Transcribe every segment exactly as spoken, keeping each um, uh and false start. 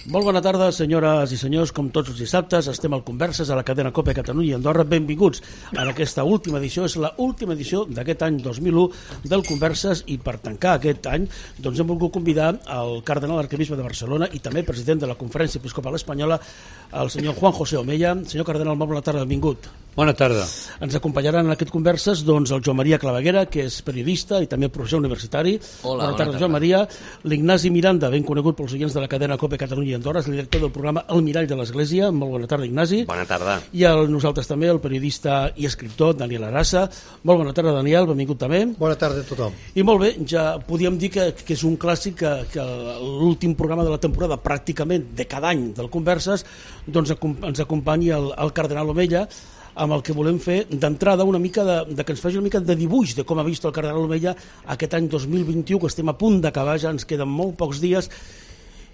Molt bona tarda, senyores i senyors. Com tots els dissabtes, estem al Converses a la cadena COPE Catalunya i Andorra. Benvinguts en aquesta última edició. És l'última edició d'aquest any dos mil u del Converses, i per tancar aquest any doncs hem volgut convidar el cardenal arquebisbe de Barcelona i també president de la Conferència Episcopal Espanyola, el senyor Juan José Omeya. Senyor cardenal, molt bona tarda, benvingut. Bona tarda. Ens acompanyaran en aquest Converses doncs, el Joan Maria Claveguera, que és periodista i també professor universitari. Hola, bona tarda, bona tarda. Joan Maria. L'Ignasi Miranda, ben conegut pels oients de la cadena COPE Catalunya i Andorra, és el director del programa El Mirall de l'Església. Molt bona tarda, Ignasi. Bona tarda. I el, nosaltres també, el periodista i escriptor Daniel Arassa. Molt bona tarda, Daniel, benvingut també. Bona tarda a tothom. I molt bé, ja podíem dir que, que és un clàssic que, que l'últim programa de la temporada, pràcticament de cada any del Converses, doncs ens acompanyi el, el cardenal Omeya, amb el que volem fer d'entrada una mica de, de que ens faci una mica de dibuix de com ha vist el cardenal Omeya aquest any dos mil vint-i-u, que estem a punt d'acabar, ja ens queden molt pocs dies,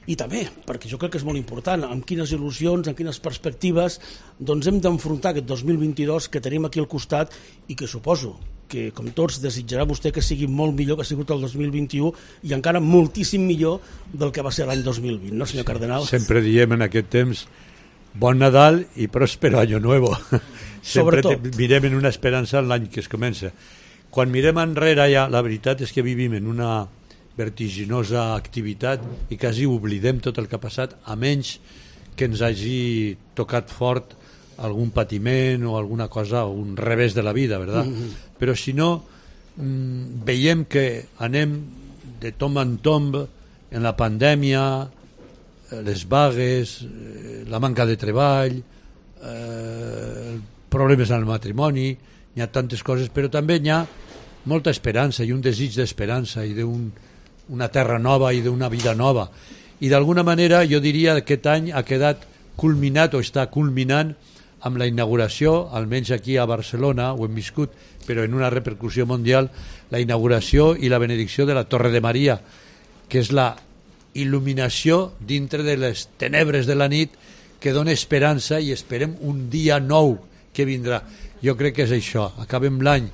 i també, perquè jo crec que és molt important, amb quines il·lusions, amb quines perspectives doncs hem d'enfrontar aquest dos mil vint-i-dos que tenim aquí al costat, i que suposo que, com tots, desitjarà vostè que sigui molt millor que ha sigut el dos mil vint-i-u, i encara moltíssim millor del que va ser l'any dos mil vint, no, senyor cardenal? Sempre diem en aquest temps bon Nadal i pròspero Año Nuevo. Sempre mirem en una esperança en l'any que es comença. Quan mirem enrere ja, la veritat és que vivim en una vertiginosa activitat i quasi oblidem tot el que ha passat, a menys que ens hagi tocat fort algun patiment o alguna cosa, o un revés de la vida, ¿verdad? Mm-hmm. Però si no, mmm, veiem que anem de tom en tomb en la pandèmia, les vagues, la manca de treball, eh, problemes en el matrimoni, hi ha tantes coses, però també hi ha molta esperança i un desig d'esperança i d'una terra nova i d'una vida nova. I d'alguna manera jo diria que aquest any ha quedat culminat o està culminant amb la inauguració, almenys aquí a Barcelona, ho hem viscut, però en una repercussió mundial, la inauguració i la benedicció de la Torre de Maria, que és la il·luminació dintre de les tenebres de la nit, que dona esperança i esperem un dia nou que vindrà. Jo crec que és això. Acabem l'any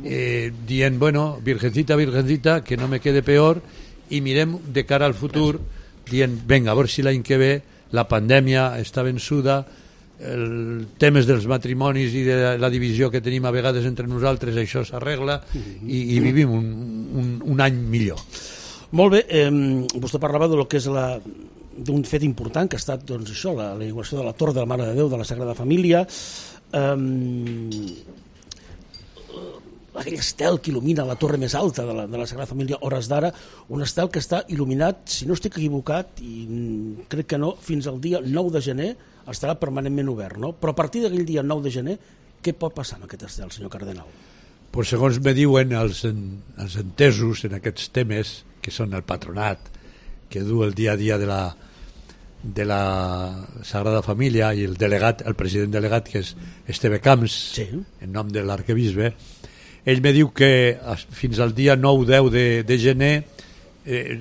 eh, dient, bueno, virgencita, virgencita, que no me quede peor, i mirem de cara al futur dient, venga, a veure si l'any que ve la pandèmia està vençuda, el temes dels matrimonis i de la divisió que tenim a vegades entre nosaltres, això s'arregla i, i vivim un, un, un any millor. Molt bé, eh, vostè parlava de lo que és la d'un fet important que ha estat doncs, això, la, la inauguració de la Torre de la Mare de Déu de la Sagrada Família, eh, aquell estel que il·lumina la torre més alta de la, de la Sagrada Família hores d'ara, un estel que està il·luminat, si no estic equivocat, i crec que no, fins al dia nou de gener estarà permanentment obert, no? Però a partir d'aquell dia nou de gener, què pot passar amb aquest estel, senyor cardenal? Pues segons me diuen els, en, els entesos en aquests temes, que són el patronat, que du el dia a dia de la, de la Sagrada Família, i el delegat, el president delegat, que és Esteve Camps, sí, en nom de l'arquebisbe, ell me diu que fins al dia nou deu de, de gener eh,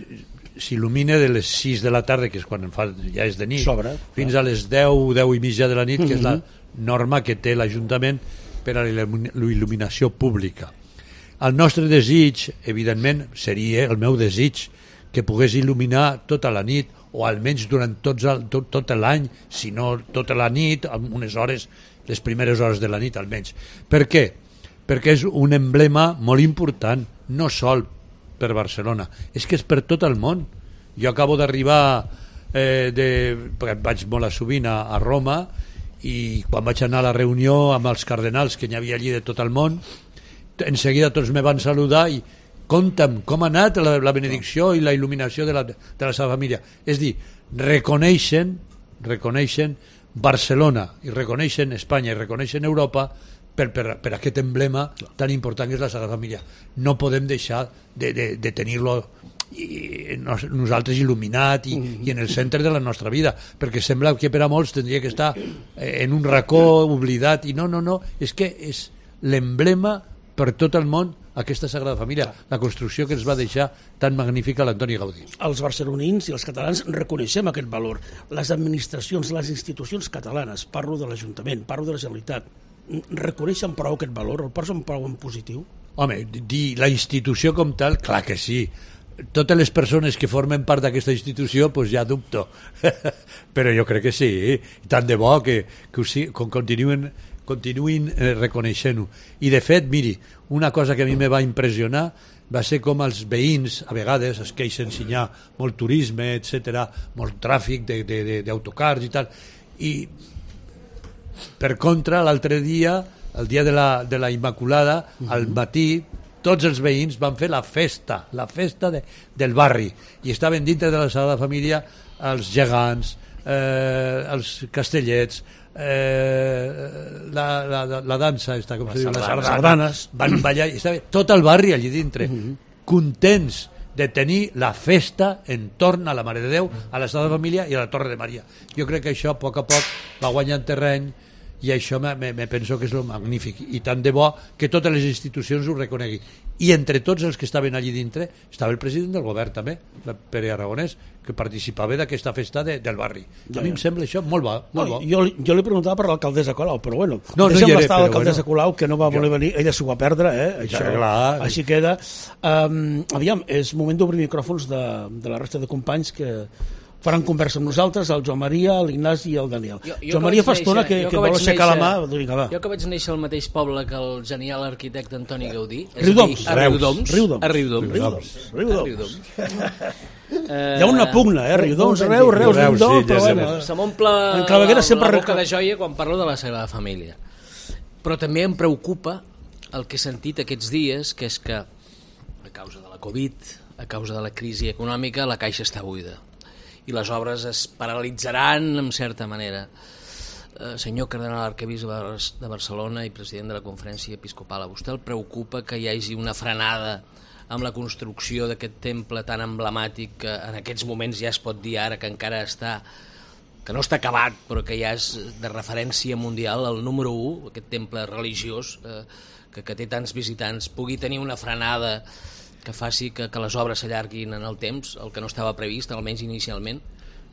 s'il·lumina de les sis de la tarda, que és quan fa, ja és de nit, Sobre, fins clar. a les deu, deu i mitja de la nit, que mm-hmm. és la norma que té l'Ajuntament per a la il·luminació pública. El nostre desig, evidentment, seria el meu desig, que pogués il·luminar tota la nit, o almenys durant tots el, tot, tot l'any, si no tota la nit, amb unes hores, les primeres hores de la nit almenys. Per què? Perquè és un emblema molt important, no sol per Barcelona, és que és per tot el món. Jo acabo d'arribar, eh, de, perquè vaig molt a sovint a, a Roma, i quan vaig anar a la reunió amb els cardenals que n'hi havia allí de tot el món, en seguida tots me van saludar i conta'm com ha anat la, la benedicció i la il·luminació de la, de la seva família. És dir, reconeixen, reconeixen Barcelona i reconeixen Espanya i reconeixen Europa per, per, per aquest emblema tan important que és la Sagrada Família. No podem deixar de, de, de tenir-lo i nosaltres il·luminat i, mm. i en el centre de la nostra vida, perquè sembla que per a molts tindria que estar en un racó oblidat, i no, no, no, és que és l'emblema per tot el món, aquesta Sagrada Família, la construcció que ens va deixar tan magnífica l'Antoni Gaudí. Els barcelonins i els catalans reconeixem aquest valor. Les administracions, les institucions catalanes, parlo de l'Ajuntament, parlo de la Generalitat, reconeixen prou aquest valor, el posen prou en positiu? Home, dir la institució com tal, clar que sí. totes les persones que formen part d'aquesta institució pues ja dubto però jo crec que sí, tant de bo que, que ho sí, continuïn, continuïn eh, reconeixent-ho. I de fet, miri, una cosa que a mi me va impressionar va ser com els veïns a vegades es queixen si hi ha molt turisme, etcètera, molt tràfic d'autocars i tal, i per contra l'altre dia, el dia de la, de la Immaculada, uh-huh. al matí tots els veïns van fer la festa, la festa de, del barri, i estaven dintre de la Sagrada Família els gegants, eh, els castellets, eh, la, la, la dansa, està, com la se diu, les sardanes, van ballar, i estava tot el barri allí dintre, uh-huh. contents de tenir la festa entorn a la Mare de Déu, a la Sagrada Família i a la Torre de Maria. Jo crec que això a poc a poc va guanyant terreny, i això me, me, me penso que és lo magnífic, i tant de bo que totes les institucions ho reconeguin. I entre tots els que estaven allí dintre estava el president del govern també, Pere Aragonès, que participava d'aquesta festa de, del barri. Ja, a mi ja. em sembla això molt bo. Molt no, bo. Jo, jo li preguntava per l'alcaldessa Colau, però bueno, no, deixem no l'estar l'alcaldessa bueno, Colau, que no va voler jo... venir, ella s'ho va perdre, eh? Això, ja, clar. Així queda. Um, aviam, és moment d'obrir micròfons de, de la resta de companys que faran conversa amb nosaltres, el Joan Maria, l'Ignasi i el Daniel. Jo, jo Joan Maria fa estona que, que, que vol aixecar la mà. Vinga, va. Jo que vaig néixer al mateix poble que el genial arquitecte Antoni Gaudí. Riudoms. A Riudoms. Riudoms. A Riudoms. Riudoms. Riudoms. Uh, Hi ha una pugna, eh? Riudoms, Reus, Reus, Reus, sí, però bueno. Se m'omple la, la boca de joia quan parlo de la Sagrada Família. Però també em preocupa el que he sentit aquests dies, que és que a causa de la Covid, a causa de la crisi econòmica, la caixa està buida i les obres es paralitzaran en certa manera. Eh, senyor cardenal arquebisbe de Barcelona i president de la Conferència Episcopal, a vostè el preocupa que hi hagi una frenada amb la construcció d'aquest temple tan emblemàtic que en aquests moments ja es pot dir ara que encara està, que no està acabat però que ja és de referència mundial, el número u, aquest temple religiós eh, que, que té tants visitants, pugui tenir una frenada que faci que, que les obres s'allarguin en el temps, el que no estava previst, almenys inicialment?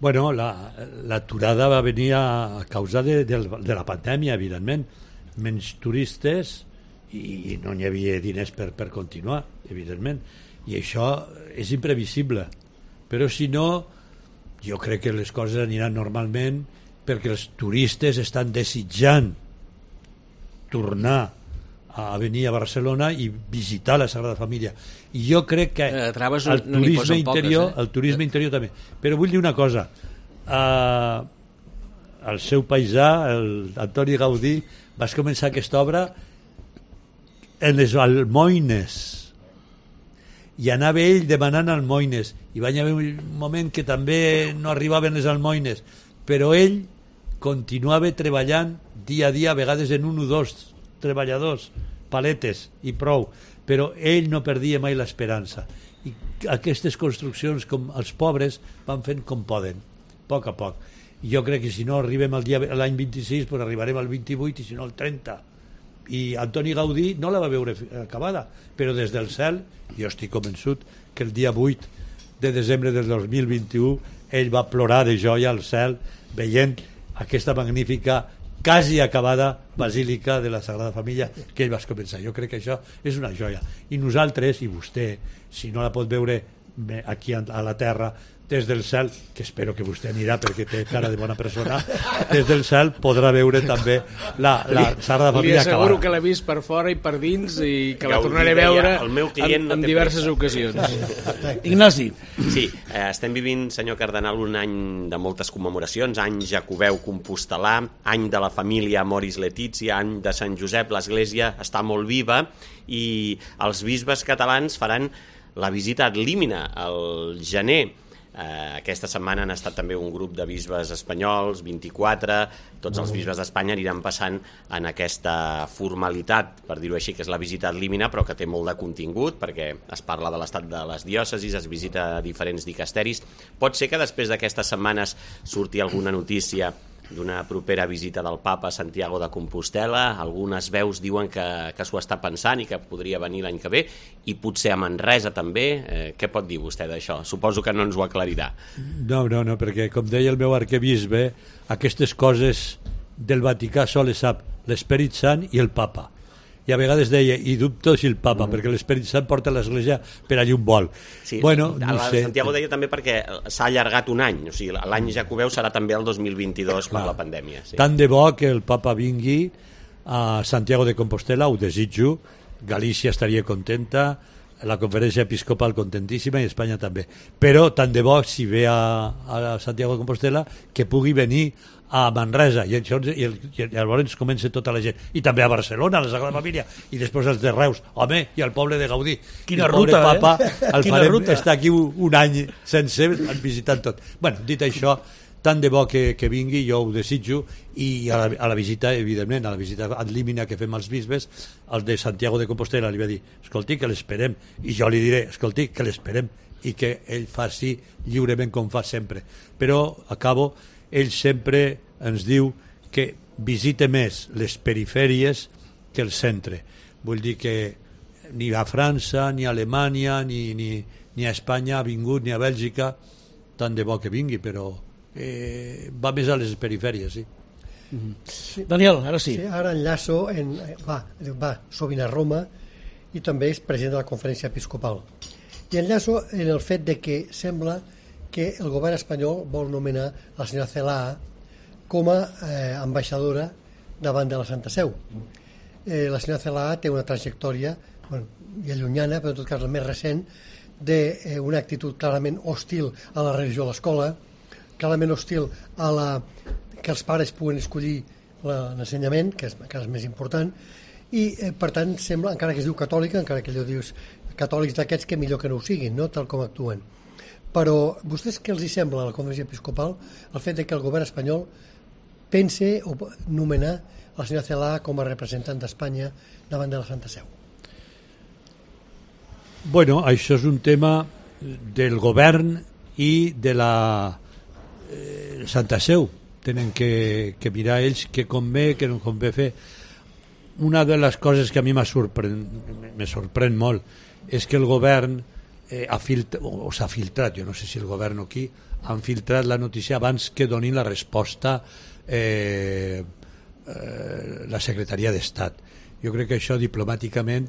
Bueno, l'aturada la, va venir a causa de, de, de la pandèmia, evidentment. Menys turistes i no n'hi havia diners per, per continuar, evidentment. I això és imprevisible. Però si no, jo crec que les coses aniran normalment perquè els turistes estan desitjant tornar a venir a Barcelona i visitar la Sagrada Família, i jo crec que eh, el turisme no interior poques, eh? el turisme interior també, però vull dir una cosa, uh, el seu paisà, el Antoni Gaudí, vas començar aquesta obra en les almoines i anava ell demanant almoines i va haver un moment que també no arribaven les almoines, però ell continuava treballant dia a dia, a vegades en un o dos treballadors, paletes i prou, però ell no perdia mai l'esperança, i aquestes construccions com els pobres van fent com poden, a poc a poc, i jo crec que si no arribem al dia l'any vint-i-sis, pues arribarem al vint-i-vuit i si no al trenta, i Antoni Gaudí no la va veure acabada, però des del cel jo estic convençut que el dia vuit de desembre del dos mil vint-i-u ell va plorar de joia al cel veient aquesta magnífica quasi acabada basílica de la Sagrada Família que ell va començar. Jo crec que això és una joia, i nosaltres, i vostè, si no la pot veure aquí a la terra des del cel, que espero que vostè anirà perquè té cara de bona persona, des del cel podrà veure també la, la Sagrada Família acabada. Li asseguro que l'he vist per fora i per dins i que la tornaré a veure en, en diverses ocasions. Ignasi. Sí, eh, estem vivint, senyor cardenal, un any de moltes commemoracions, any Jacobeu Compostelà, any de la família Moris Letizia, any de Sant Josep, l'església està molt viva i els bisbes catalans faran la visita ad limina al gener. Eh, aquesta setmana han estat també un grup de bisbes espanyols, vint-i-quatre, tots els bisbes d'Espanya aniran passant en aquesta formalitat, per dir-ho així, que és la visita ad limina, però que té molt de contingut, perquè es parla de l'estat de les diòcesis, es visita diferents dicasteris. Pot ser que després d'aquestes setmanes surti alguna notícia d'una propera visita del papa a Santiago de Compostela. Algunes veus diuen que, que s'ho està pensant i que podria venir l'any que ve, i potser a Manresa també. Eh, què pot dir vostè d'això? Suposo que no ens ho aclarirà. No, no, no, perquè com deia el meu arquebisbe, aquestes coses del Vaticà sol les sap l'Esperit Sant i el papa. i a vegades deia, i dubto si el papa, mm. perquè l'Esperit Sant porta l'església per allí un vol. Sí, bueno, no la, sé. Santiago deia també perquè s'ha allargat un any, o sigui, l'any jacobeu serà també el dos mil vint-i-dos per la pandèmia. Sí. Tant de bo que el papa vingui a Santiago de Compostela, ho desitjo, Galícia estaria contenta, la conferència episcopal contentíssima i Espanya també, però tant de bo si ve a, a Santiago de Compostela que pugui venir a Manresa i, això, i, el, i llavors comença tota la gent, i també a Barcelona, a la Sagrada Família, i després als de Reus, home, i al poble de Gaudí. Quina el ruta, papa, eh? el Quina farem, ruta. està aquí un, un any sencer visitant tot. Bueno, dit això, tant de bo que, que vingui, jo ho desitjo, i a la, a la visita, evidentment, a la visita ad limina que fem als bisbes, el de Santiago de Compostela li va dir, escolti, que l'esperem, i jo li diré, escolti, que l'esperem, i que ell faci lliurement com fa sempre. Però, acabo, ell sempre ens diu que visite més les perifèries que el centre. Vull dir que ni a França, ni a Alemanya, ni, ni, ni a Espanya ha vingut, ni a Bèlgica, tant de bo que vingui, però eh, va més a les perifèries, sí. Mm-hmm. Sí. Daniel, ara sí. Sí, ara enllaço, en, va, va sovint a Roma i també és president de la conferència episcopal. I enllaço en el fet de que sembla que el govern espanyol vol nomenar la senyora Celaá com a eh, ambaixadora davant de la Santa Seu. Eh, la senyora Celaá té una trajectòria, bueno, ja llunyana, però en tot cas la més recent, d'una eh, actitud clarament hostil a la religió a l'escola, clarament hostil a la que els pares puguen escollir l'ensenyament, que és encara més important, i eh, per tant sembla, encara que es diu catòlica, encara que allò dius catòlics d'aquests, que millor que no ho siguin, no? Tal com actuen. Però vostès què els hi sembla a la conferència episcopal el fet de que el govern espanyol pense o nomenar la senyora Celaá com a representant d'Espanya davant de la Santa Seu? Bueno, això és un tema del govern i de la eh, Santa Seu. Tenen que, que mirar ells què convé, què no convé fer. Una de les coses que a mi m'ha sorprèn, me sorprèn molt és que el govern eh, ha filtrat, o s'ha filtrat, jo no sé si el govern o qui, han filtrat la notícia abans que donin la resposta eh, eh, la Secretaria d'Estat. Jo crec que això diplomàticament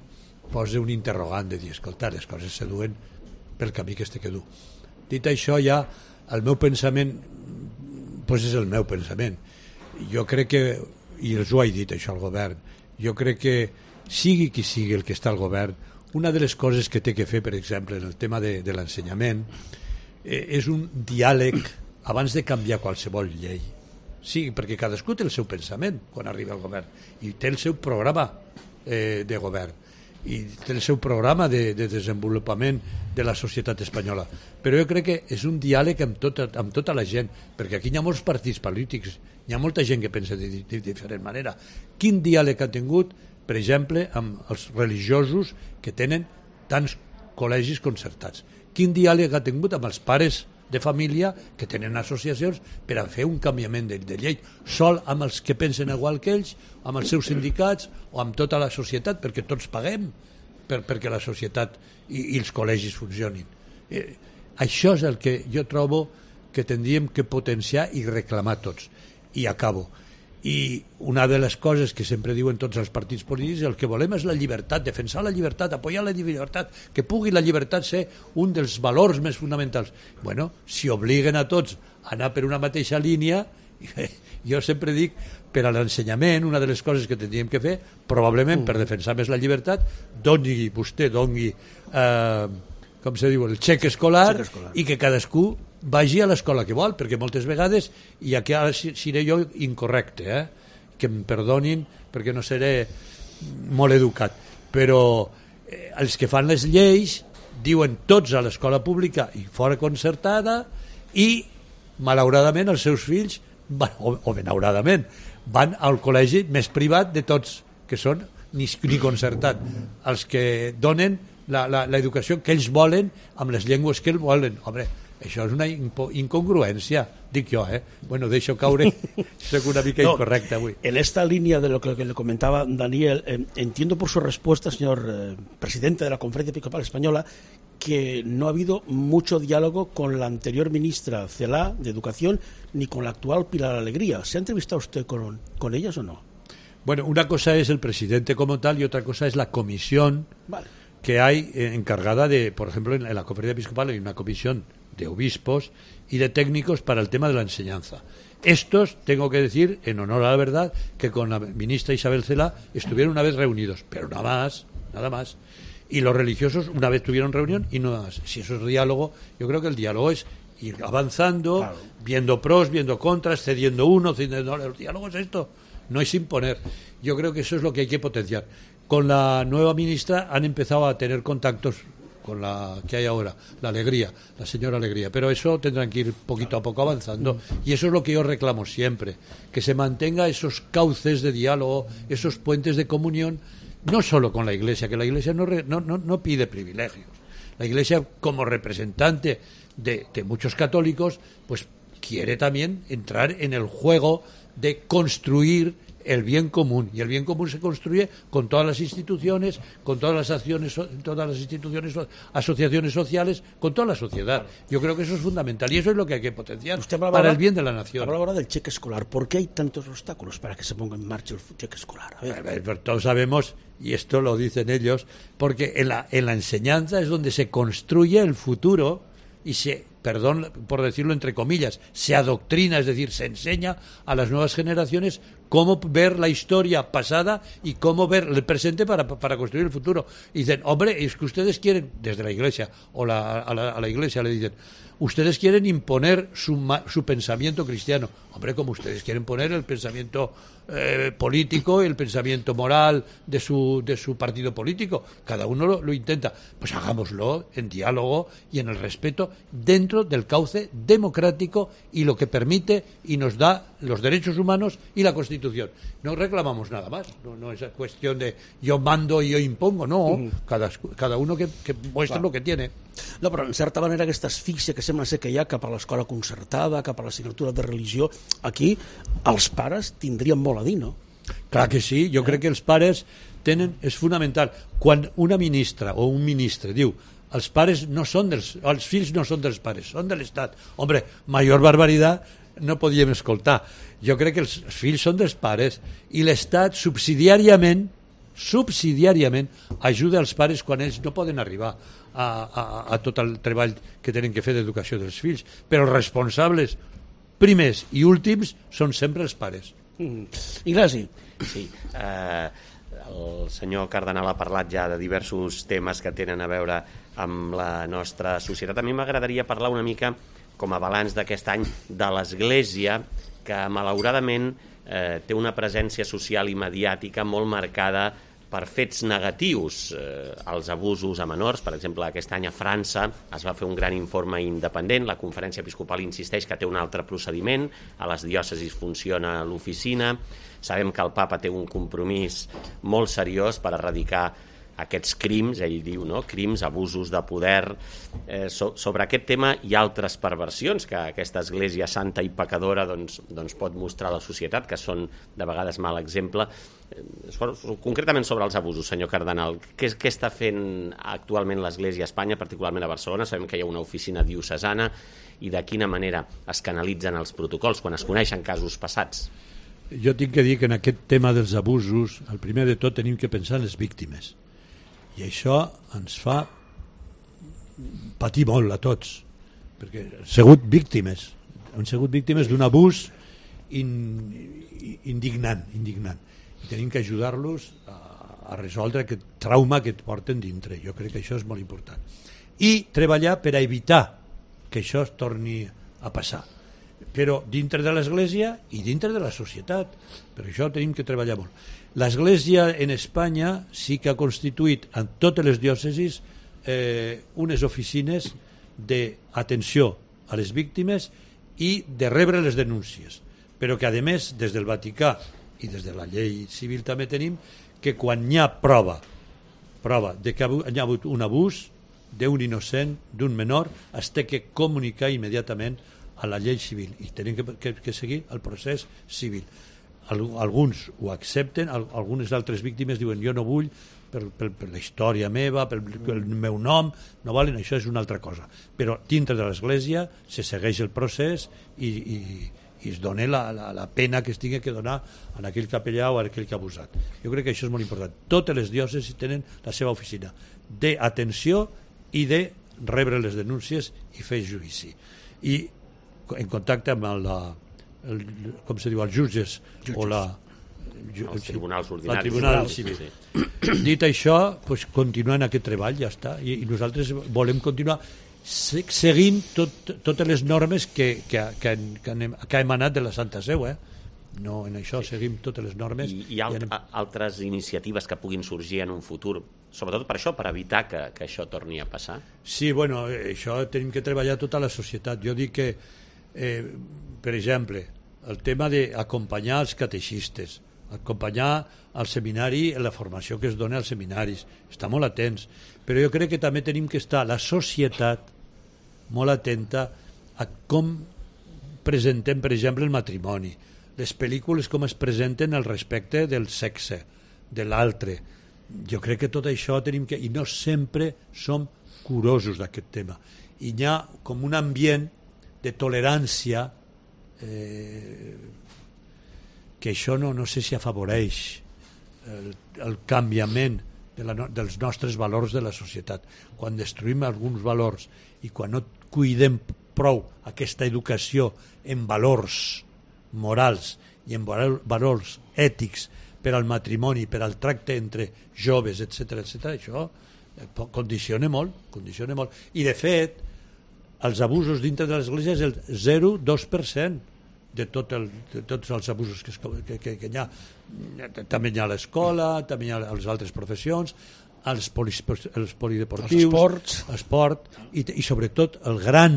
posa un interrogant de dir, escolta, les coses se duen pel camí que este que du. Dit això, ja el meu pensament pues és el meu pensament. Jo crec que, i els ho he dit això al govern, jo crec que sigui qui sigui el que està al govern, una de les coses que té que fer, per exemple, en el tema de, de l'ensenyament, eh, és un diàleg abans de canviar qualsevol llei. Sí, perquè cadascú té el seu pensament quan arriba al govern i té el seu programa eh, de govern i té el seu programa de, de desenvolupament de la societat espanyola, però jo crec que és un diàleg amb tota, amb tota la gent, perquè aquí hi ha molts partits polítics, hi ha molta gent que pensa de, de, de diferent manera. Quin diàleg ha tingut, per exemple, amb els religiosos que tenen tants col·legis concertats? Quin diàleg ha tingut amb els pares de família que tenen associacions per a fer un canviament de, de llei, sol amb els que pensen igual que ells, amb els seus sindicats o amb tota la societat, perquè tots paguem per, perquè la societat i, i els col·legis funcionin. Eh, això és el que jo trobo que tindríem que potenciar i reclamar tots. I acabo. I una de les coses que sempre diuen tots els partits polítics, el que volem és la llibertat, defensar la llibertat, apoyar la llibertat, que pugui la llibertat ser un dels valors més fonamentals. Bueno, si obliguen a tots a anar per una mateixa línia, jo sempre dic, per a l'ensenyament, una de les coses que tindríem que fer, probablement per defensar més la llibertat, doni vostè, doni, eh, com se diu, el xec escolar, xec escolar, i que cadascú vagi a l'escola que vol, perquè moltes vegades, i aquí ara seré jo incorrecte, eh? Que em perdonin perquè no seré molt educat, però eh, els que fan les lleis diuen tots a l'escola pública i fora concertada, i malauradament els seus fills van, o, o benauradament van al col·legi més privat de tots, que són ni, ni concertat, els que donen l'educació que ells volen amb les llengües que ells volen. Home, això és una incongruència, dic jo, ¿eh? Bueno, deixo caure, soy una mica no, incorrecta avui. En esta línea de lo que, que le comentaba Daniel, eh, entiendo por su respuesta, señor eh, presidente de la Conferencia Episcopal Española, que no ha habido mucho diálogo con la anterior ministra Celaá de Educación ni con la actual Pilar Alegría. ¿Se ha entrevistado usted con, con ellas o no? Bueno, una cosa es el presidente como tal y otra cosa es la comisión vale. que hay eh, encargada de, por ejemplo, en, en la conferencia episcopal hay una comisión de obispos y de técnicos para el tema de la enseñanza. Estos, tengo que decir, en honor a la verdad, que con la ministra Isabel Cela estuvieron una vez reunidos, pero nada más, nada más. Y los religiosos una vez tuvieron reunión y nada más. Si eso es diálogo, yo creo que el diálogo es ir avanzando, claro. viendo pros, viendo contras, cediendo uno, cediendo... No, el diálogo es esto, no es imponer. Yo creo que eso es lo que hay que potenciar. Con la nueva ministra han empezado a tener contactos con la que hay ahora, la Alegría, la señora Alegría, pero eso tendrán que ir poquito a poco avanzando y eso es lo que yo reclamo siempre, que se mantenga esos cauces de diálogo, esos puentes de comunión, no solo con la Iglesia, que la Iglesia no, no, no, no pide privilegios, la Iglesia como representante de, de muchos católicos, pues quiere también entrar en el juego de construir el bien común, y el bien común se construye con todas las instituciones, con todas las acciones, todas las instituciones, asociaciones sociales, con toda la sociedad. Yo creo que eso es fundamental y eso es lo que hay que potenciar Usted para ahora, el bien de la nación. Habla ahora del cheque escolar. ¿Por qué hay tantos obstáculos para que se ponga en marcha el cheque escolar? A ver. A ver, todos sabemos, y esto lo dicen ellos, porque en la, en la enseñanza es donde se construye el futuro y se, perdón por decirlo entre comillas, se adoctrina, es decir, se enseña a las nuevas generaciones cómo ver la historia pasada y cómo ver el presente para, para construir el futuro. Y dicen, hombre, es que ustedes quieren, desde la Iglesia, o la, a, la, a la Iglesia le dicen, ustedes quieren imponer su, su pensamiento cristiano. Hombre, como ustedes quieren poner el pensamiento eh, político, el pensamiento moral de su, de su partido político. Cada uno lo, lo intenta. Pues hagámoslo en diálogo y en el respeto dentro del cauce democrático y lo que permite y nos da los derechos humanos y la Constitución. No reclamamos nada más. No, no es cuestión de yo mando y yo impongo. No, mm. cada, cada uno que, que muestra Clar. lo que tiene. No, però en certa manera aquesta asfíxia que sembla ser que hi ha cap a l'escola concertada, cap a l'assignatura de religió, aquí els pares tindrien molt a dir, no? Clar que sí, jo eh? crec que els pares tenen, és fonamental. Quan una ministra o un ministre diu els pares no són dels, els fills no són dels pares, són de l'Estat. Hombre, major barbaritat no podíem escoltar. Jo crec que els fills són dels pares i l'Estat subsidiàriament subsidiàriament ajuda els pares quan ells no poden arribar a, a, a tot el treball que tenen que fer d'educació dels fills, però els responsables primers i últims són sempre els pares. Mm. Ignasi. Sí, eh, el senyor Cardenal ha parlat ja de diversos temes que tenen a veure amb la nostra societat. A mi m'agradaria parlar una mica com a balanç d'aquest any de l'Església, que malauradament eh, té una presència social i mediàtica molt marcada per fets negatius, eh, els abusos a menors. Per exemple, aquest any a França es va fer un gran informe independent, la Conferència Episcopal insisteix que té un altre procediment, a les diòcesis funciona l'oficina, sabem que el papa té un compromís molt seriós per erradicar aquests crims, ell diu, no? Crims, abusos de poder. Eh, so, sobre aquest tema hi ha altres perversions que aquesta església santa i pecadora doncs, doncs pot mostrar a la societat, que són de vegades mal exemple. Eh, concretament sobre els abusos, senyor Cardenal, què, què està fent actualment l'església a Espanya, particularment a Barcelona? Sabem que hi ha una oficina diocesana, i de quina manera es canalitzen els protocols quan es coneixen casos passats? Jo tinc que dir que en aquest tema dels abusos, el primer de tot tenim que pensar en les víctimes. I això ens fa patir molt a tots, perquè han sigut víctimes, han sigut víctimes d'un abús in, indignant, indignant. I tenim que ajudar-los a, a resoldre aquest trauma que et porten dintre. Jo crec que això és molt important. I treballar per a evitar que això es torni a passar. Però dintre de l'Església i dintre de la societat. Per això tenim que treballar molt. L'Església en Espanya sí que ha constituït en totes les diòcesis eh, unes oficines d'atenció a les víctimes i de rebre les denúncies, però que a més des del Vaticà i des de la llei civil també tenim que quan hi ha prova prova de que hi ha hagut un abús d'un innocent, d'un menor, es té que comunicar immediatament a la llei civil i tenim que, que, que seguir el procés civil. Alguns ho accepten, algunes altres víctimes diuen jo no vull per, per, per la història meva, per, per el meu nom, no valen, això és una altra cosa. Però dintre de l'Església se segueix el procés i, i, i es doni la, la, la pena que es tingui que donar a aquell capellà o a aquell que ha abusat. Jo crec que això és molt important. Totes les diòcesis tenen la seva oficina d'atenció i de rebre les denúncies i fer judici. I en contacte amb la, el, com se diu, els jutges, jutges. o la... Els tribunals ordinaris. La tribunal civil. Sí. Dit això, pues, continuant aquest treball, ja està. I, i nosaltres volem continuar seguint tot, totes les normes que, que, que, que, hem, que ha emanat de la Santa Seu, eh? No, en això seguim totes les normes. I hi ha alt, anem... altres iniciatives que puguin sorgir en un futur, sobretot per això, per evitar que, que això torni a passar? Sí, bueno, això tenim que treballar tota la societat. Jo dic que, eh, per exemple, el tema d'acompanyar els catexistes, acompanyar al seminari en la formació que es dona als seminaris, està molt atents, però jo crec que també tenim que estar la societat molt atenta a com presentem, per exemple, el matrimoni, les pel·lícules com es presenten el respecte del sexe, de l'altre. Jo crec que tot això tenim que... I no sempre som curosos d'aquest tema. I hi ha com un ambient de tolerància eh, que això no, no sé si afavoreix el, el canviament de la, dels nostres valors de la societat. Quan destruïm alguns valors i quan no cuidem prou aquesta educació en valors morals i en valors ètics per al matrimoni, per al tracte entre joves, etcètera, etcètera, això condiciona molt, condiciona molt. I, de fet, els abusos dintre de l'Església és el zero coma dos per cent de, tot el, de tots els abusos que, que, que, que hi ha. També hi ha a l'escola, també hi ha a les altres professions, els, polis, els polideportius, els esports, esport, i, i sobretot el gran,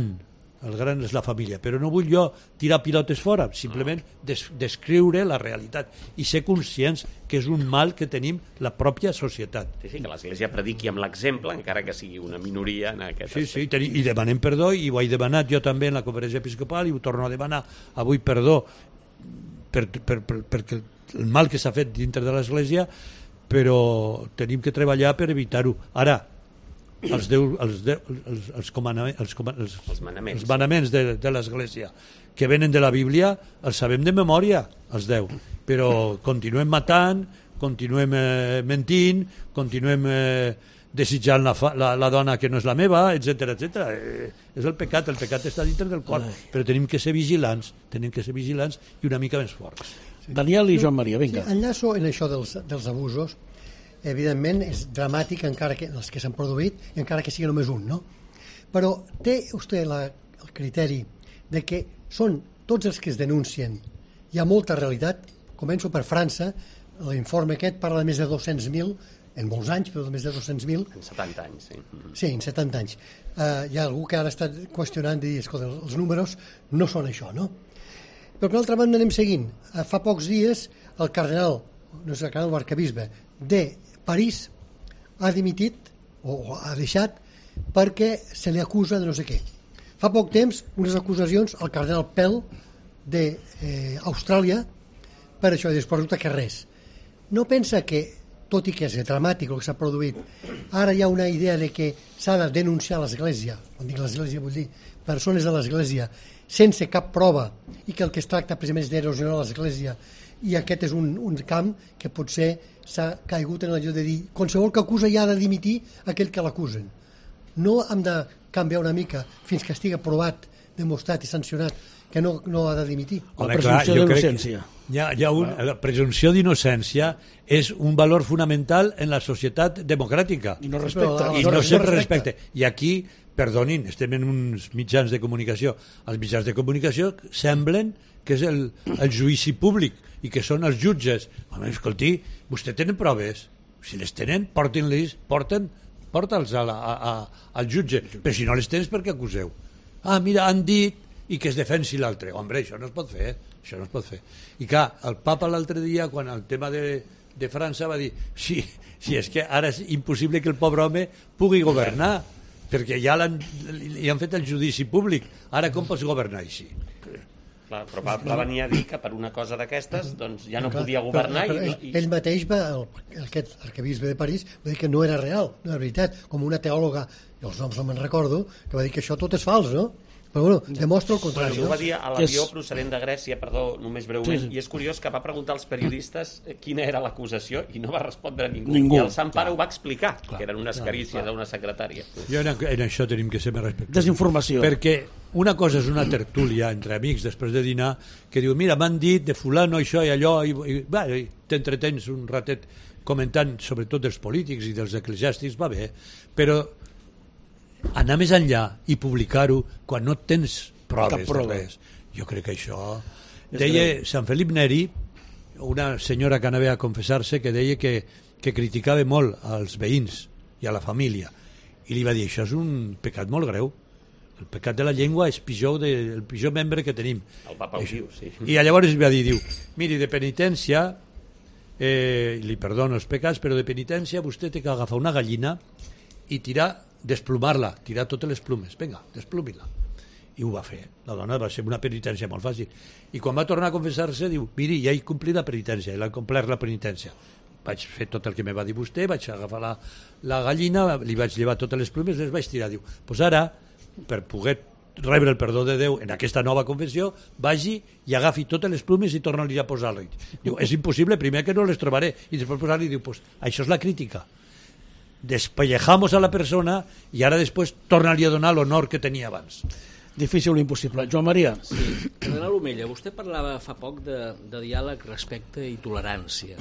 el gran és la família. Però no vull jo tirar pilotes fora, simplement des, descriure la realitat i ser conscients que és un mal que tenim la pròpia societat. Sí, sí, que l'Església prediqui amb l'exemple, encara que sigui una minoria en aquest sí, aspecte. Sí, i demanem perdó, i ho he demanat jo també en la conferència episcopal, i ho torno a demanar avui perdó per, per, per, perquè el mal que s'ha fet dintre de l'Església, però tenim que treballar per evitar-ho. Ara, els, deu, els, deu, els, els, comanaments, els, els, els manaments, els manaments de, de l'Església que venen de la Bíblia els sabem de memòria, els deu, però continuem matant, continuem eh, mentint, continuem eh, desitjant la, fa, la, la dona que no és la meva, etcètera, etcètera. Eh, és el pecat, el pecat està dintre del cor, Ai. Però tenim que ser vigilants, tenim que ser vigilants i una mica més forts. Sí. Daniel i Joan Maria, vinga. Sí, enllaço en això dels, dels abusos. Evidentment és dramàtic encara que els que s'han produït i encara que sigui només un, no? Però té vostè la, el criteri de que són tots els que es denuncien. Hi ha molta realitat. Començo per França, l'informe aquest parla de més de dos-cents mil, en molts anys, però de més de dos-cents mil. En setanta anys, sí. Sí, en setanta anys. Uh, hi ha algú que ara està qüestionant i dir, escolta, els números no són això, no? Però per l'altra banda anem seguint. Uh, fa pocs dies el cardenal, no és el cardenal, l'arcabisbe de París ha dimitit o, o ha deixat perquè se li acusa de no sé què. Fa poc temps unes acusacions al cardenal Pell d'Austràlia eh, per això, i després resulta que res. No pensa que, tot i que és dramàtic el que s'ha produït, ara hi ha una idea de que s'ha de denunciar l'Església, quan dic l'Església vull dir persones de l'Església, sense cap prova, i que el que es tracta precisament és d'erosionar l'Església, i aquest és un, un camp que potser s'ha caigut en el lloc de dir qualsevol que acusa ja ha de dimitir aquell que l'acusen. No hem de canviar una mica fins que estigui provat, demostrat i sancionat que no, no ha de dimitir. La presumpció d'innocència. Hi ha, hi ha un, la presumpció d'innocència és un valor fonamental en la societat democràtica. I no respecta. I no sempre respecta. I aquí, perdonin, estem en uns mitjans de comunicació. Els mitjans de comunicació semblen que és el, el judici públic i que són els jutges. Home, escolti, vostè tenen proves? Si les tenen, portin-les, porten, porta'ls a la, a, a, al jutge. Però si no les tens, per què acuseu? Ah, mira, han dit i que es defensi l'altre. Home, això no es pot fer, això no es pot fer. I clar, el papa l'altre dia, quan el tema de, de França va dir sí, sí, és que ara és impossible que el pobre home pugui governar, perquè ja l'han, li han fet el judici públic. Ara com pots governar així? Clar, però va, va venir a dir que per una cosa d'aquestes doncs ja no clar, podia governar. Però, però i, i... Ell mateix, va, el, aquest arquebisbe de París, va dir que no era real, no era veritat, com una teòloga, i els noms no me'n recordo, que va dir que això tot és fals, no? Però bueno, demostra el contrari. Bueno, ho no? va dir a l'avió procedent de Grècia, perdó, només breument, Sí, sí. i és curiós que va preguntar als periodistes quina era l'acusació i no va respondre ningú. Ningú. I el Sant Pare ho va explicar, Clar, que eren unes clar, carícies clar. a una secretària. Jo en, en això tenim que ser més respectuosos. Desinformació. Perquè una cosa és una tertúlia entre amics després de dinar que diu, mira, m'han dit de fulano això i allò, i, i, va, i t'entretens un ratet comentant sobretot dels polítics i dels eclesiàstics, va bé, però anar més enllà i publicar-ho quan no tens proves de res, jo crec que això... Deia Sant Felip Neri, una senyora que anava a confessar-se, que deia que, que criticava molt als veïns i a la família, i li va dir, això és un pecat molt greu, el pecat de la llengua és pitjor de, el pitjor membre que tenim. El papa ho diu, sí. I llavors va dir, diu, miri, de penitència, eh, li perdono els pecats, però de penitència vostè té que agafar una gallina i tirar, desplumar-la, tirar totes les plumes, vinga, desplumi-la. I ho va fer. La dona va ser una penitència molt fàcil. I quan va tornar a confessar-se, diu, miri, ja he complit la penitència, l'he complert la penitència. Vaig fer tot el que me va dir vostè, vaig agafar la, la gallina, li vaig llevar totes les plumes, les vaig tirar. Diu, doncs pues ara, per poder rebre el perdó de Déu en aquesta nova confessió, vagi i agafi totes les plumes i torna-li a posar-li. Diu, és impossible, primer que no les trobaré, i després posar-li, diu, pues això és la crítica. Despellejamos a la persona i ara després torna-li a donar l'honor que tenia abans. Difícil o impossible. Joan Maria. Sí. Cardenal Omella, vostè parlava fa poc de, de diàleg, respecte i tolerància.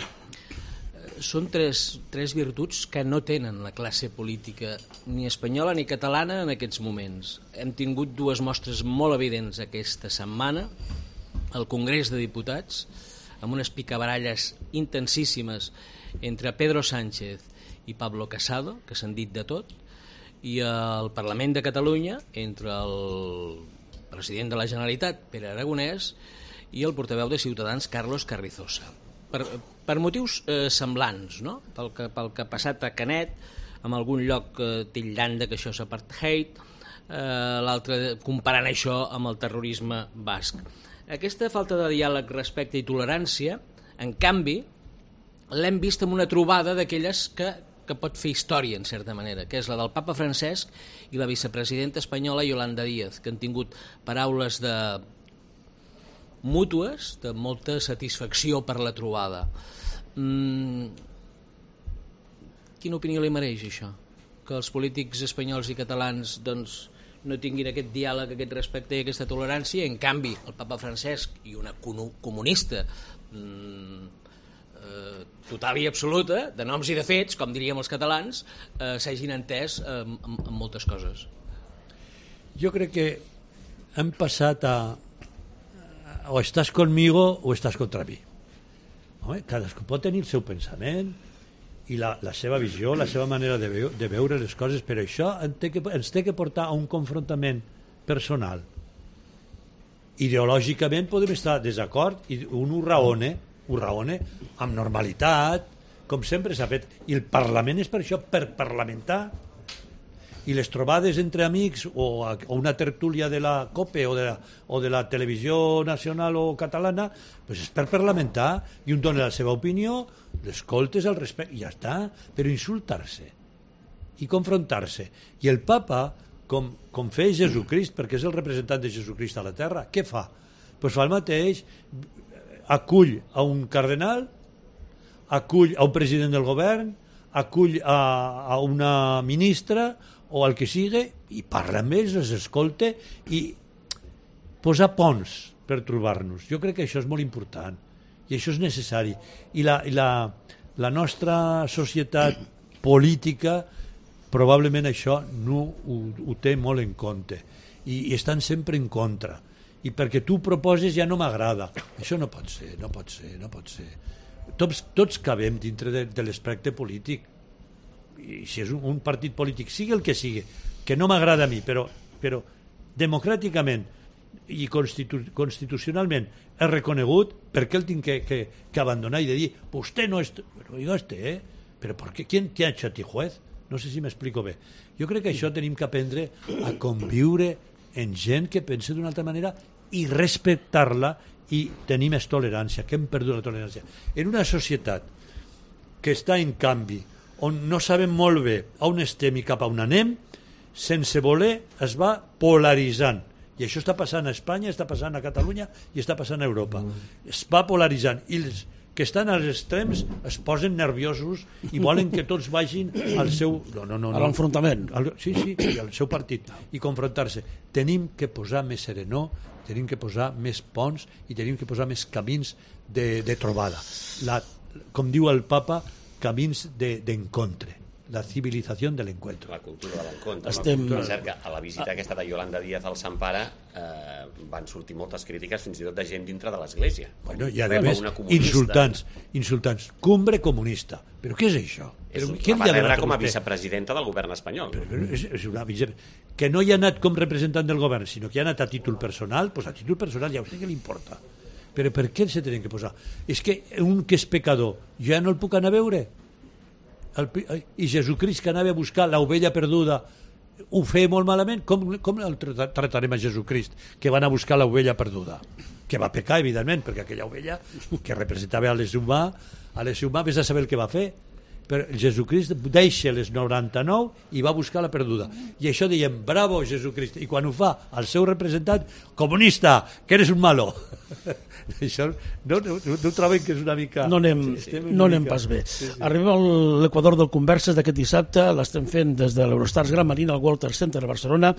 Són tres, tres virtuts que no tenen la classe política ni espanyola ni catalana en aquests moments. Hem tingut dues mostres molt evidents aquesta setmana al Congrés de Diputats, amb unes picabaralles intensíssimes entre Pedro Sánchez i Pablo Casado, que s'han dit de tot, i al Parlament de Catalunya entre el president de la Generalitat, Pere Aragonès, i el portaveu de Ciutadans, Carlos Carrizosa. Per, per motius eh, semblants, no? Pel que, pel que ha passat a Canet, en algun lloc eh, titllant de que això és apartheid, eh, l'altre comparant això amb el terrorisme basc. Aquesta falta de diàleg, respecte i tolerància, en canvi, l'hem vist en una trobada d'aquelles que que pot fer història, en certa manera, que és la del papa Francesc i la vicepresidenta espanyola Yolanda Díaz, que han tingut paraules de mútues, de molta satisfacció per la trobada. Mm... Quina opinió li mereix això? Que els polítics espanyols i catalans doncs, no tinguin aquest diàleg, aquest respecte i aquesta tolerància, i en canvi el papa Francesc i una comunista mm, total i absoluta, de noms i de fets, com diríem els catalans, eh, s'hagin entès eh, en, en moltes coses. Jo crec que hem passat a, a o estàs conmigo o estàs contra mi. Home, cadascú pot tenir el seu pensament i la, la seva visió, la seva manera de, veu, de veure les coses, però això ens té, que, ens té que portar a un confrontament personal. Ideològicament podem estar desacord i un ho raone, ho raone amb normalitat, com sempre s'ha fet. I el Parlament és per això, per parlamentar. I les trobades entre amics o, a, o una tertúlia de la COPE o de la, o de la televisió nacional o catalana, pues és per parlamentar, i un dona la seva opinió, l'escoltes al respecte, i ja està. Però insultar-se i confrontar-se. I el papa, com, com feia Jesucrist, perquè és el representant de Jesucrist a la terra, què fa? Pues fa el mateix, acull a un cardenal, acull a un president del govern, acull a, a una ministra o al que sigui, i parla amb ells, els escolta i posa ponts per trobar-nos. Jo crec que això és molt important i això és necessari. I la, i la, la nostra societat política probablement això no ho, ho té molt en compte i, i estan sempre en contra. I perquè tu proposes ja no m'agrada. Això no pot ser, no pot ser, no pot ser. Tots, tots cabem dintre de, de l'espectre polític. I si és un, un partit polític, sigui el que sigui, que no m'agrada a mi, però, però democràticament i constitu, constitucionalment és reconegut, per què el tinc que, que, que abandonar i de dir, vostè no és... Però digo este, eh? Però per què? ¿Quién te ha hecho a ti juez? No sé si m'explico bé. Jo crec que això tenim que aprendre a conviure en gent que pensa d'una altra manera i respectar-la i tenir més tolerància, que hem perdut la tolerància. En una societat que està en canvi, on no sabem molt bé on estem i cap a on anem, sense voler es va polaritzant. I I això està passant a Espanya, està passant a Catalunya i està passant a Europa. Es va polaritzant i els que estan als extrems es posen nerviosos i volen que tots vagin al seu... No, no, no, no. A l'enfrontament. Sí, sí, al seu partit i confrontar-se. Tenim que posar més serenor, tenim que posar més ponts i tenim que posar més camins de, de trobada. La, com diu el papa, camins d'encontre. De, la civilització de l'encuentro. La cultura de l'encontre. Estem... No? Cert que a la visita aquesta de Yolanda Díaz al Sant Pare eh, van sortir moltes crítiques fins i tot de gent dintre de l'Església. Bueno, i a més, insultants, insultants. Cumbre comunista. Però què és això? És, Però, la va rebre com a vicepresidenta del govern espanyol. Però, és, és una vice... Que no hi ha anat com representant del govern, sinó que ha anat a títol personal, doncs a títol personal ja a vostè què li importa. Però per què se tenen que posar? És que un que és pecador, jo ja no el puc anar a veure? El, i Jesucrist que anava a buscar l'ovella perduda ho feia molt malament. Com, com el tratarem a Jesucrist que va anar a buscar l'ovella perduda? Que va pecar, evidentment, perquè aquella ovella que representava a l'ésser humà, a l'ésser humà, vés a saber el que va fer. Però Jesucrist deixa les noranta-nou i va buscar la perduda. I això diem, bravo Jesucrist. I quan ho fa el seu representant, comunista, que eres un malo. Això no, no, no troben que és una mica... No anem, sí, no anem mica... pas bé. Sí, sí. Arribem a l'Equador del Converses d'aquest dissabte, l'estem fent des de l'Eurostars Gran Marina, al Walter Center de Barcelona,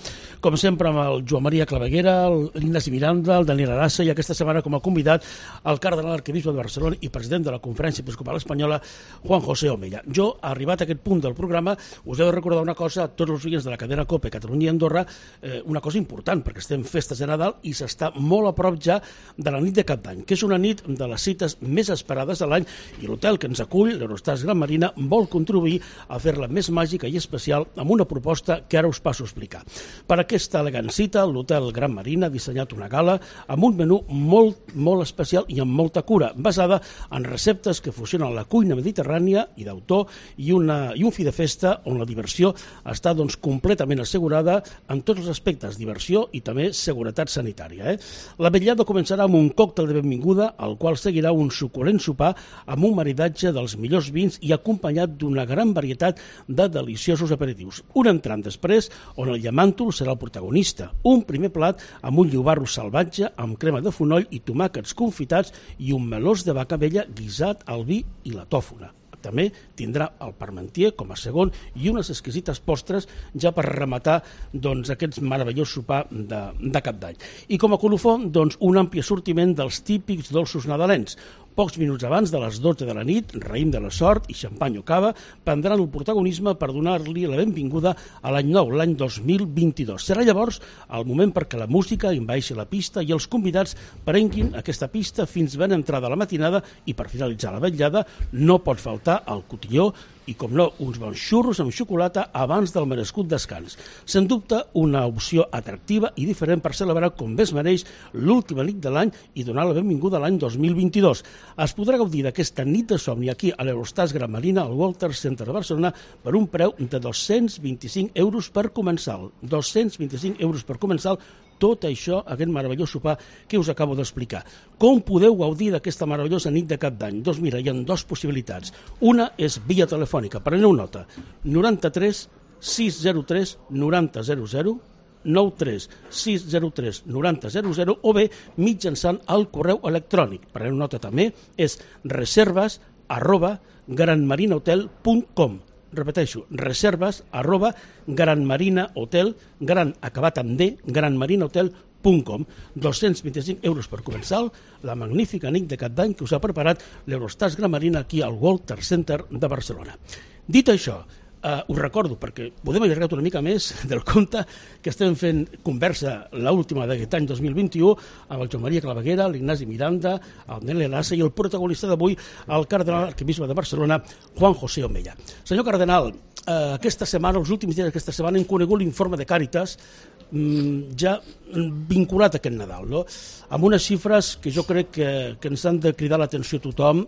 com sempre amb el Joan Maria Claveguera, l'Ignasi Miranda, el Daniel Arassa, i aquesta setmana com a convidat el cardenal arquebisbe de Barcelona i president de la Conferència Episcopal Espanyola, Juan José Omella. Jo, arribat a aquest punt del programa, us he de recordar una cosa a tots els oients de la cadena COPE Catalunya i Andorra, eh, una cosa important, perquè estem festes de Nadal i s'està molt a prop ja de la nit de Cap d'Any, que és una nit de les cites més esperades de l'any, i l'hotel que ens acull, l'Eurostars Gran Marina, vol contribuir a fer-la més màgica i especial amb una proposta que ara us passo a explicar. Per aquesta elegant cita, l'hotel Gran Marina ha dissenyat una gala amb un menú molt, molt especial i amb molta cura, basada en receptes que fusionen la cuina mediterrània i d'autor i, una, i un fi de festa on la diversió està doncs, completament assegurada en tots els aspectes, diversió i també seguretat sanitària. Eh? La vetllada començarà amb un còctel de benvinguda, al qual seguirà un suculent sopar amb un maridatge dels millors vins i acompanyat d'una gran varietat de deliciosos aperitius. Un entrant després, on el llamàntol serà el protagonista. Un primer plat amb un llobarro salvatge, amb crema de fonoll i tomàquets confitats i un melós de vaca vella guisat al vi i la tòfona. També tindrà el parmentier com a segon i unes exquisites postres ja per rematar doncs, aquest meravellós sopar de, de Cap d'Any. I com a colofó, doncs, un ampli assortiment dels típics dolços nadalencs. Pocs minuts abans de les dotze de la nit, raïm de la sort i xampany o cava prendran el protagonisme per donar-li la benvinguda a l'any nou, l'any dos mil vint-i-dos. Serà llavors el moment perquè la música envaeixi la pista i els convidats prenguin aquesta pista fins ben entrada la matinada i per finalitzar la vetllada no pot faltar el cotilló i, com no, uns bons xurros amb xocolata abans del merescut descans. Sens dubte, una opció atractiva i diferent per celebrar com bé es mereix l'última nit de l'any i donar la benvinguda a l'any dos mil vint-i-dos. Es podrà gaudir d'aquesta nit de somni aquí a l'Eurostars Gran Marina, al Walter Center de Barcelona, per un preu de dos-cents vint-i-cinc euros per comensal. dos-cents vint-i-cinc euros per comensal, tot això, aquest meravellós sopar que us acabo d'explicar. Com podeu gaudir d'aquesta meravellosa nit de Cap d'Any? Doncs mira, hi ha dues possibilitats. Una és via telefònica, preneu nota, noranta-tres sis zero tres noranta zero zero, nou tres sis zero tres noranta zero zero, o bé mitjançant el correu electrònic. Preneu nota també, és reserves arroba granmarinahotel punt com. Repeteixo, reserves arroba granmarinahotel, gran acabat amb D, granmarinahotel punt com. dos-cents vint-i-cinc euros per comensal, la magnífica nit de Cap d'Any que us ha preparat l'Eurostars Gran Marina aquí al Walter Center de Barcelona. Dit això, Uh, us recordo, perquè podem allargar una mica més del compte, que estem fent conversa l'última d'aquest any dos mil vint-i-u amb el Joan Maria Claveguera, l'Ignasi Miranda, el Nel Elassa i el protagonista d'avui, el cardenal arquebisbe de Barcelona, Juan José Omella. Senyor cardenal, uh, aquesta setmana, els últims dies d'aquesta setmana, hem conegut l'informe de Càritas um, ja vinculat a aquest Nadal, no? Amb unes xifres que jo crec que, que ens han de cridar l'atenció a tothom,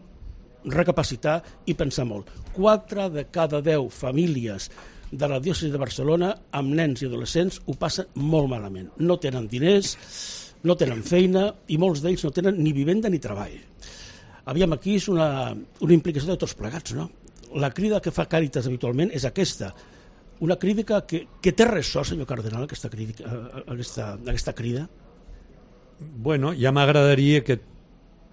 recapacitar i pensar molt. Quatre de cada deu famílies de la diòcesi de Barcelona amb nens i adolescents ho passen molt malament. No tenen diners, no tenen feina i molts d'ells no tenen ni vivenda ni treball. Aviam, aquí és una, una implicació de tots plegats, no? La crida que fa Càritas habitualment és aquesta. una crítica que, que té ressò, senyor cardenal, aquesta, crítica, aquesta, aquesta crida? Bueno, ja m'agradaria que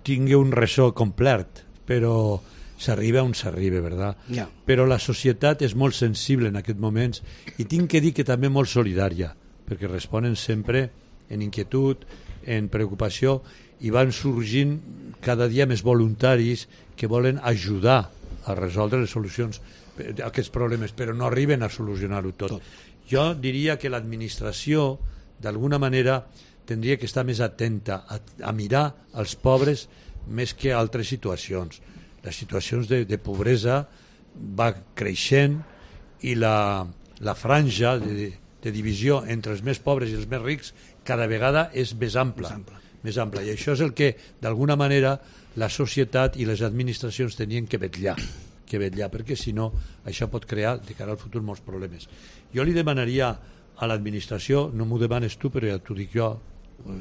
tingui un ressò complet, però s'arriba on s'arriba, ¿verdad? Ja. Però la societat és molt sensible en aquests moments i tinc que dir que també molt solidària, perquè responen sempre en inquietud, en preocupació, i van sorgint cada dia més voluntaris que volen ajudar a resoldre les solucions aquests problemes, però no arriben a solucionar-ho tot. tot. Jo diria que l'administració, d'alguna manera, tindria que estar més atenta a, a mirar els pobres més que altres situacions. Les situacions de, de pobresa va creixent i la, la franja de, de divisió entre els més pobres i els més rics cada vegada és més ampla. Més ampla. Més ampla. I això és el que, d'alguna manera, la societat i les administracions tenien que vetllar, que vetllar, perquè si no, això pot crear, de cara al futur, molts problemes. Jo li demanaria a l'administració, no m'ho demanes tu, però ja t'ho dic jo,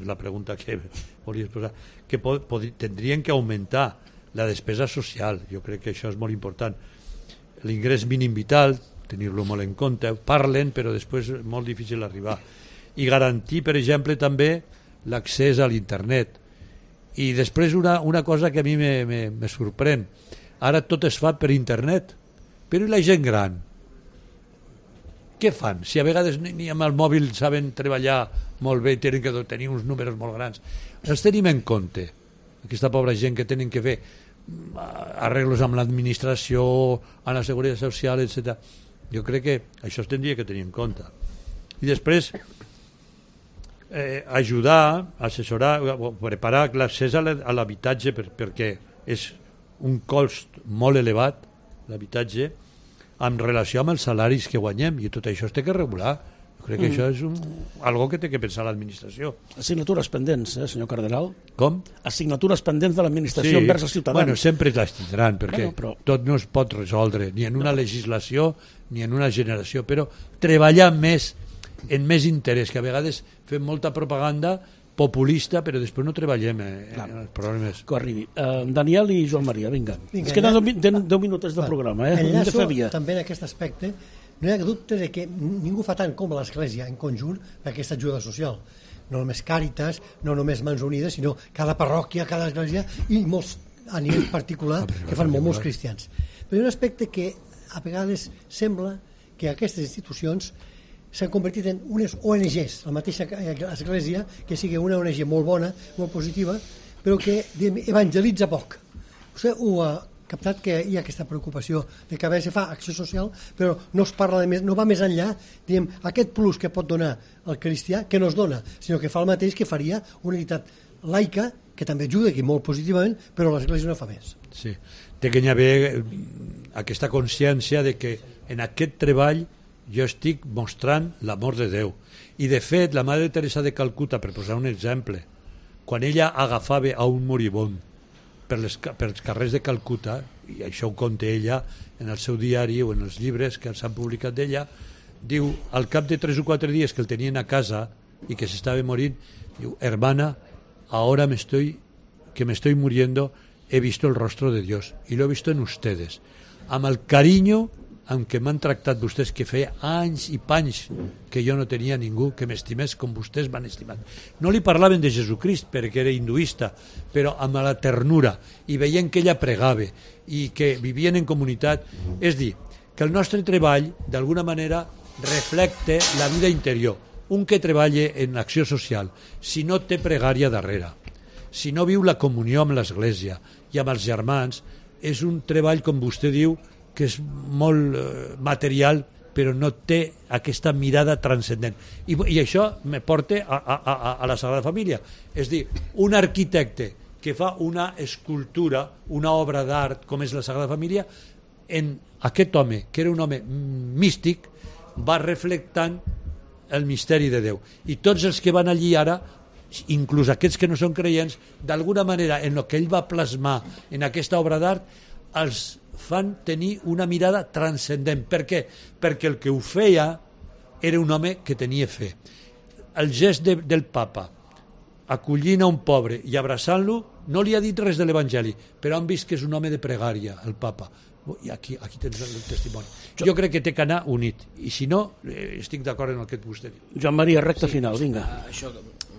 la pregunta que volies posar, que pod, pod, tindrien que augmentar la despesa social. Jo crec que això és molt important. L'ingrés mínim vital, tenir-lo molt en compte, parlen, però després és molt difícil arribar. I garantir, per exemple, també l'accés a l'internet. I després una, una cosa que a mi me, me, me sorprèn. Ara tot es fa per internet, però i la gent gran? Què fan? Si a vegades ni, ni amb el mòbil saben treballar molt bé, tenen que tenir uns números molt grans. Els tenim en compte, aquesta pobra gent que tenen que fer arreglos amb l'administració, amb la seguretat social, etcètera. Jo crec que això es tindria que tenir en compte. I després eh, ajudar, assessorar, preparar l'accés a l'habitatge per, perquè és un cost molt elevat, l'habitatge, en relació amb els salaris que guanyem, i tot això es té que regular. Jo crec que mm. això és un, algo que té que pensar l'administració. Assignatures pendents, eh, senyor cardenal? Com? Assignatures pendents de l'administració sí. envers els ciutadans. Bueno, sempre les tindran, perquè bueno, però... tot no es pot resoldre, ni en una no. legislació, ni en una generació, però treballar més en més interès, que a vegades fem molta propaganda populista, però després no treballem eh, en els problemes. Que arribi. Uh, Daniel i Joan Maria, vinga. vinga es queden ja... deu minuts de programa. Eh? Enllaço també en aquest aspecte. No hi ha dubte de que ningú fa tant com l'Església en conjunt per aquesta ajuda social. No només Càritas, no només Mans Unides, sinó cada parròquia, cada església i molts a nivell particular que fan molt, molts cristians. Però hi ha un aspecte que a vegades sembla que aquestes institucions s'han convertit en unes O N Ges, la mateixa església, que sigui una O N G molt bona, molt positiva, però que evangelitza poc. Vostè ho ha captat, que hi ha aquesta preocupació de que a vegades se fa acció social, però no es parla de més, no va més enllà, diguem, aquest plus que pot donar el cristià, que no es dona, sinó que fa el mateix que faria una entitat laica, que també ajuda, que molt positivament, però l'església no fa més. Sí, té que hi haver aquesta consciència de que en aquest treball jo estic mostrant l'amor de Déu. I de fet, la Mare Teresa de Calcuta, per posar un exemple, quan ella agafava a un moribund per, les, per els carrers de Calcuta, i això ho conta ella en el seu diari o en els llibres que s'han publicat d'ella, diu, al cap de tres o quatre dies que el tenien a casa i que s'estava morint, diu, hermana, ahora me estoy, que me estoy muriendo, he visto el rostro de Dios y lo he visto en ustedes. Amb el carinyo amb què m'han tractat vostès, que feia anys i panys que jo no tenia ningú que m'estimés com vostès m'han estimat. No li parlaven de Jesucrist perquè era hinduista, però amb la ternura, i veient que ella pregava i que vivien en comunitat. És dir, que el nostre treball d'alguna manera reflecte la vida interior. Un que treballa en l'acció social, si no té pregària darrere, si no viu la comunió amb l'Església i amb els germans, és un treball, com vostè diu, que és molt eh, material, però no té aquesta mirada transcendent. I, i això me porta a, a, a, a la Sagrada Família. És dir, un arquitecte que fa una escultura, una obra d'art com és la Sagrada Família, en aquest home, que era un home místic, va reflectant el misteri de Déu. I tots els que van allí ara, inclús aquests que no són creients, d'alguna manera, en el que ell va plasmar en aquesta obra d'art, els fan tenir una mirada transcendent. Per què? Perquè el que ho feia era un home que tenia fe. El gest de, del papa, acollint a un pobre i abraçant-lo, no li ha dit res de l'Evangeli, però han vist que és un home de pregària, el papa. I aquí, aquí tens el testimoni. Jo, jo crec que té que anar unit, i si no, eh, estic d'acord en el que vostè diu. Joan Maria, recta sí, final, vinga. Això,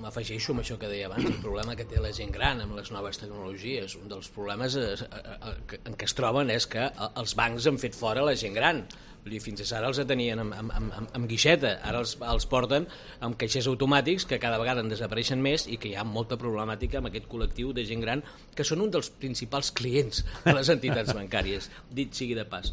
m'afegeixo amb això que deia abans, el problema que té la gent gran amb les noves tecnologies. Un dels problemes es, en què es troben és que els bancs han fet fora la gent gran. Vull dir, fins ara els tenien amb, amb, amb, amb guixeta, ara els, els porten amb caixers automàtics que cada vegada en desapareixen més i que hi ha molta problemàtica amb aquest col·lectiu de gent gran que són un dels principals clients de les entitats bancàries, dit sigui de pas.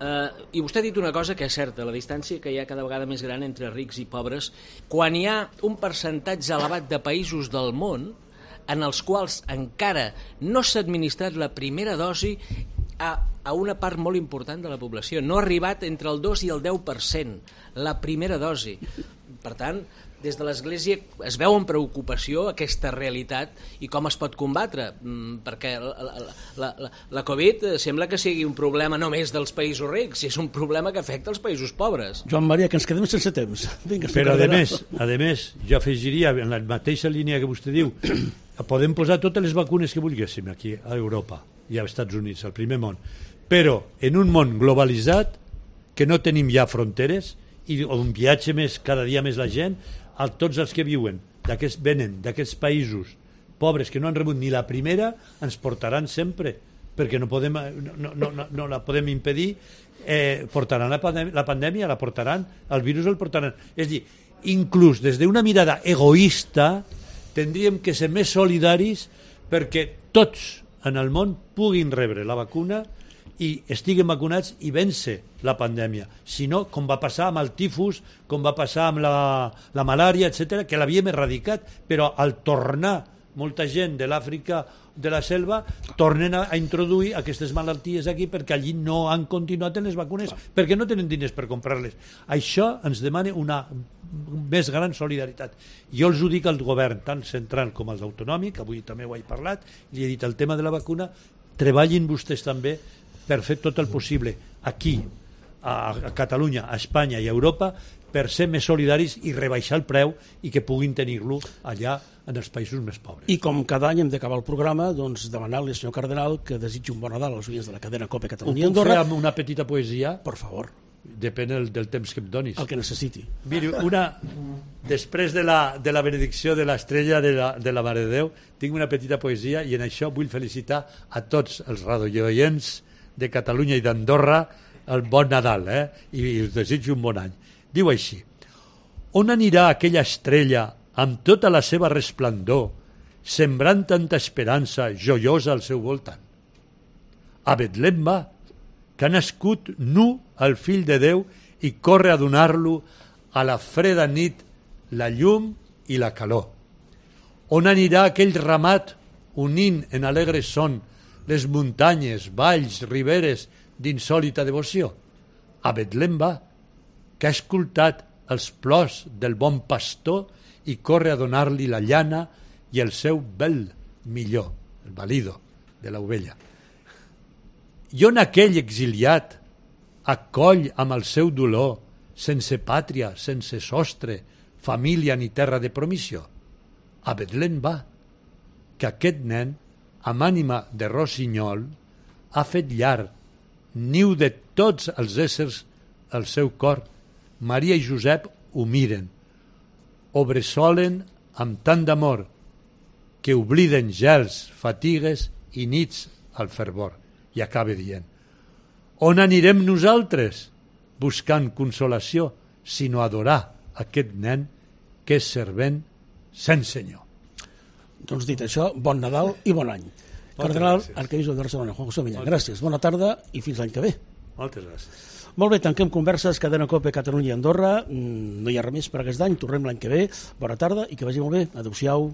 Uh, I vostè ha dit una cosa que és certa, la distància que hi ha cada vegada més gran entre rics i pobres, quan hi ha un percentatge elevat de països del món en els quals encara no s'ha administrat la primera dosi a, a una part molt important de la població. No ha arribat entre el dos i el deu per cent la primera dosi. Per tant, des de l'Església es veu amb preocupació aquesta realitat i com es pot combatre, perquè la, la, la, la Covid sembla que sigui un problema només dels països rics, és un problema que afecta els països pobres. Joan Maria, que ens quedem sense temps. Vinga, però a més, a més, jo afegiria en la mateixa línia que vostè diu, podem posar totes les vacunes que vulguéssim aquí a Europa i als Estats Units, al primer món, però en un món globalitzat que no tenim ja fronteres i on viatja més, cada dia més la gent, a tots els que viuen, d'aquests venen d'aquests països pobres que no han rebut ni la primera, ens portaran sempre, perquè no, podem, no, no, no, no la podem impedir, eh, portaran la pandèmia, la pandèmia, la portaran, el virus el portaran. És a dir, inclús des d'una mirada egoista, tindríem que ser més solidaris perquè tots en el món puguin rebre la vacuna i estiguen vacunats i vèncer la pandèmia. Si no, com va passar amb el tifus, com va passar amb la, la malària, etcètera, que l'havíem erradicat, però al tornar molta gent de l'Àfrica de la selva tornen a, a introduir aquestes malalties aquí perquè allí no han continuat en les vacunes, perquè no tenen diners per comprar-les. Això ens demana una més gran solidaritat. Jo els ho dic al govern, tant central com als autonòmic, avui també ho he parlat, li he dit el tema de la vacuna, treballin vostès també per fer tot el possible aquí, a, a Catalunya, a Espanya i a Europa, per ser més solidaris i rebaixar el preu i que puguin tenir-lo allà en els països més pobres. I com cada any hem d'acabar el programa, doncs demanar-li al senyor Cardenal que desitgi un bon Nadal als oients de la cadena COPE Catalunya i Andorra. Ho puc fer amb una petita poesia? Per favor. Depèn del, del temps que em donis. El que necessiti. Miri, una, després de la, de la benedicció de l'estrella de, la, de la Mare de Déu, tinc una petita poesia i en això vull felicitar a tots els radioients de Catalunya i d'Andorra el bon Nadal, eh? I, i us desitjo un bon any. Diu així: on anirà aquella estrella amb tota la seva resplendor, sembrant tanta esperança joiosa al seu voltant? A Betlem va, que ha nascut nu el fill de Déu i corre a donar-lo a la freda nit la llum i la calor. On anirà aquell ramat unint en alegre son les muntanyes, valls, riberes d'insòlita devoció? A Betlem va, que ha escoltat els plors del bon pastor i corre a donar-li la llana i el seu bel millor, el valido de l'ovella. I on aquell exiliat acoll amb el seu dolor, sense pàtria, sense sostre, família ni terra de promissió? A Betlem va, que aquest nen, amb ànima de rossinyol, ha fet llar, niu de tots els éssers al seu cor. Maria i Josep ho miren, ho bressolen amb tant d'amor que obliden gels, fatigues i nits al fervor. I acaba dient: on anirem nosaltres buscant consolació, sinó adorar aquest nen que és servent sense senyor. Doncs dit això, bon Nadal i bon any. Cardenal, arquebisbe de Barcelona, Juan José Millán, gràcies, bona tarda i fins l'any que ve. Moltes gràcies. Molt bé, tanquem converses, cadena COPE Catalunya i Andorra. No hi ha res més per aquest any, tornem l'any que ve. Bona tarda i que vagi molt bé. Adéu-siau.